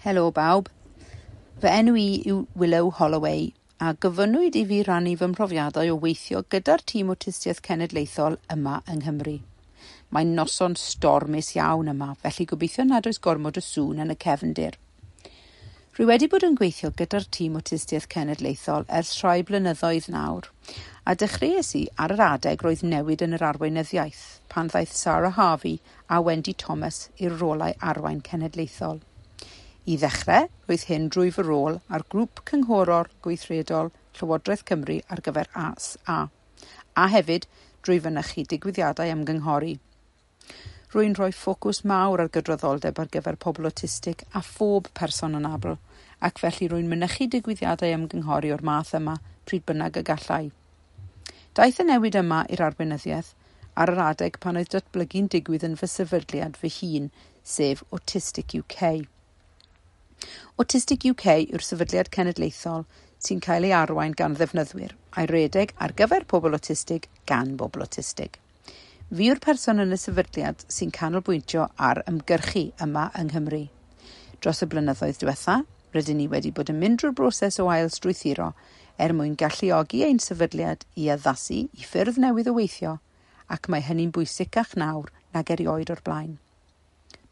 Helo bawb. Fy enw i yw Willow Holloway a gofynnwyd i fi rannu fy mhrofiadau o weithio gyda'r tîm Awtistiaeth Cenedlaethol yma yng Nghymru. Mae'n noson stormus iawn yma, felly gobeithio nad oes gormod o sŵn yn y cefndir. Rwy wedi bod yn gweithio gyda'r tîm Awtistiaeth Cenedlaethol ers rhai blynyddoedd nawr, a dechreuais i ar yr adeg roedd newid yn yr arweinyddiaeth pan ddaeth Sarah Harvey a Wendy Thomas i'r rolau arwain cenedlaethol. I ddechrau, roedd hyn drwy fy rôl ar grŵp cynghorol gweithredol Llywodraeth Cymru ar gyfer ASA, a hefyd drwy fynychu digwyddiadau ymgynghori. Rwy'n rhoi ffocws mawr ar gydraddoldeb ar gyfer pobl awtistig a phob person anabl, ac felly rwy'n mynychu digwyddiadau ymgynghori o'r math yma pryd bynnag y gallai. Daeth y newid yma i'r arweinyddiaeth ar yr adeg pan oedd datblygu'n digwydd yn fy sefydliad fy hun, sef Autistic UK. Autistic UK yw'r sefydliad cenedlaethol sy'n cael ei arwain gan ddefnyddwyr a'i redeg ar gyfer pobl awtistig gan bobl awtistig. Fi yw'r person yn y sefydliad sy'n canolbwyntio ar ymgyrchu yma yng Nghymru. Dros y blynyddoedd diwetha, rydyn ni wedi bod yn mynd drwy'r broses o ail strwythuro er mwyn galluogi ein sefydliad i addasu i ffyrdd newydd o weithio, ac mae hynny'n bwysicach nawr nag erioed o'r blaen.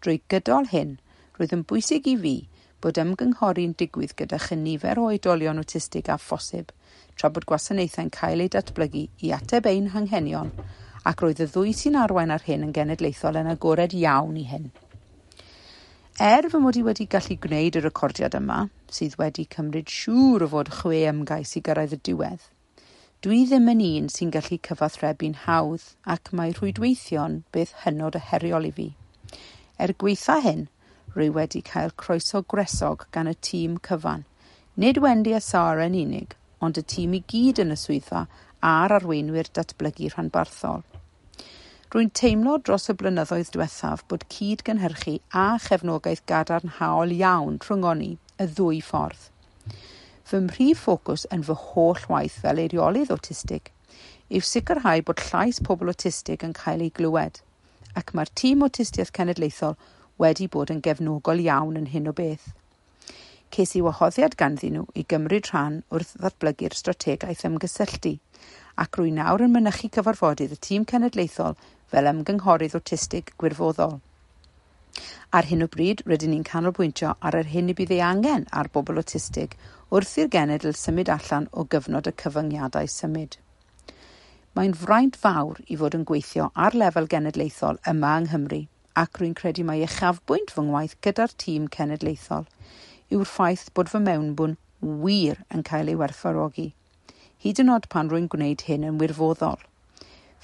Drwy gydol hyn, roedd yn bwysig i fi bod ymgynghori'n digwydd gyda chynifer o oedolion awtistig â phosib, tra bod gwasanaethau'n cael eu datblygu i ateb ein hanghenion, ac roedd y ddwy sy'n arwain ar hyn yn genedlaethol yn agored iawn i hyn. Er fy mod i wedi gallu gwneud y recordiad yma, sydd wedi cymryd siŵr o fod 6 ymgais i gyrraedd y diwedd, dwi ddim yn un sy'n gallu cyfathrebu'n hawdd ac mae rhwydweithio'n beth hynod o heriol i fi. Er gwaetha hyn, rwy wedi cael croeso gwresog gan y tîm cyfan. Nid Wendy a Sarah yn unig, ond y tîm i gyd yn y swyddfa a'r arweinwyr datblygu rhanbarthol. Rwy'n teimlo dros y blynyddoedd diwethaf bod cyd-gynhyrchu a chefnogaeth gadarnhaol iawn rhwng ni y ddwy ffordd. Fy mhrif ffocws yn fy holl waith fel eiriolydd awtistig yw sicrhau bod llais pobl awtistig yn cael ei glywed, ac mae'r tîm Awtistiaeth Cenedlaethol wedi bod yn gefnogol iawn yn hyn o beth. Ces i wahoddiad ganddyn nhw i gymryd rhan wrth ddatblygu'r strategaeth ymgysylltu, ac rwy nawr yn mynychu cyfarfodydd y tîm cenedlaethol fel ymgynghorydd awtistig gwirfoddol. Ar hyn o bryd, rydyn ni'n canolbwyntio ar yr hyn y bydd ei angen ar bobl awtistig wrth i'r genedl symud allan o gyfnod y cyfyngiadau symud. Mae'n fraint fawr i fod yn gweithio ar lefel genedlaethol yma yng Nghymru, ac rwy'n credu mai uchafbwynt fy ngwaith gyda'r tîm cenedlaethol yw'r ffaith bod fy mewnbwn wir yn cael ei werthfawrogi, hyd yn oed pan rwy'n gwneud hyn yn wirfoddol.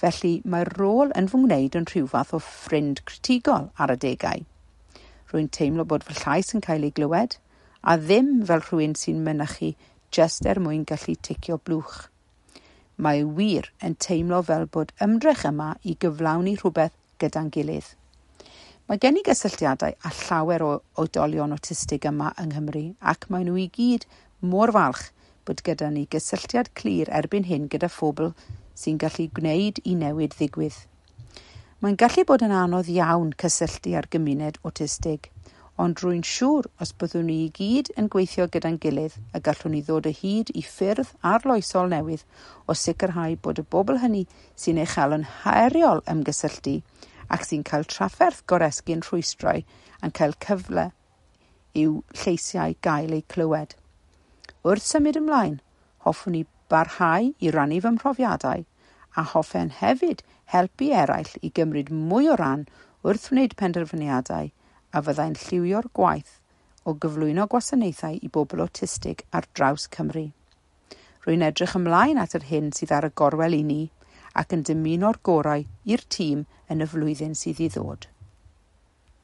Felly mae'r rôl yn fy ngwneud yn rhyw fath o ffrind critigol ar adegau. Rwy'n teimlo bod fy llais yn cael ei glywed, a ddim fel rhywun sy'n mynychu jyst er mwyn gallu ticio blwch. Mae wir yn teimlo fel bod ymdrech yma i gyflawni rhywbeth gyda'n gilydd. Mae gen i gysylltiadau â llawer o oedolion awtistig yma yng Nghymru, ac maen nhw i gyd mor falch bod gyda ni gysylltiad clir erbyn hyn gyda phobl sy'n gallu gwneud i newid ddigwydd. Mae'n gallu bod yn anodd iawn cysylltu â'r gymuned awtistig, ond rwy'n siŵr os byddwn ni i gyd yn gweithio gyda'n gilydd y gallwn ni ddod o hyd i ffyrdd arloesol newydd o sicrhau bod y bobl hynny sy'n ei chael yn heriol ymgysylltu ac sy'n cael trafferth goresgyn rhwystrau yn cael cyfle i'w lleisiau gael eu clywed. Wrth symud ymlaen, hoffwn i barhau i rannu fy mhrofiadau a hoffen hefyd helpu eraill i gymryd mwy o ran wrth wneud penderfyniadau a fyddai'n lliwio'r gwaith o gyflwyno gwasanaethau i bobl awtistig ar draws Cymru. Rwy'n edrych ymlaen at yr hyn sydd ar y gorwel i ni ac yn dymuno'r gorau i'r tîm yn y flwyddyn sydd i ddod.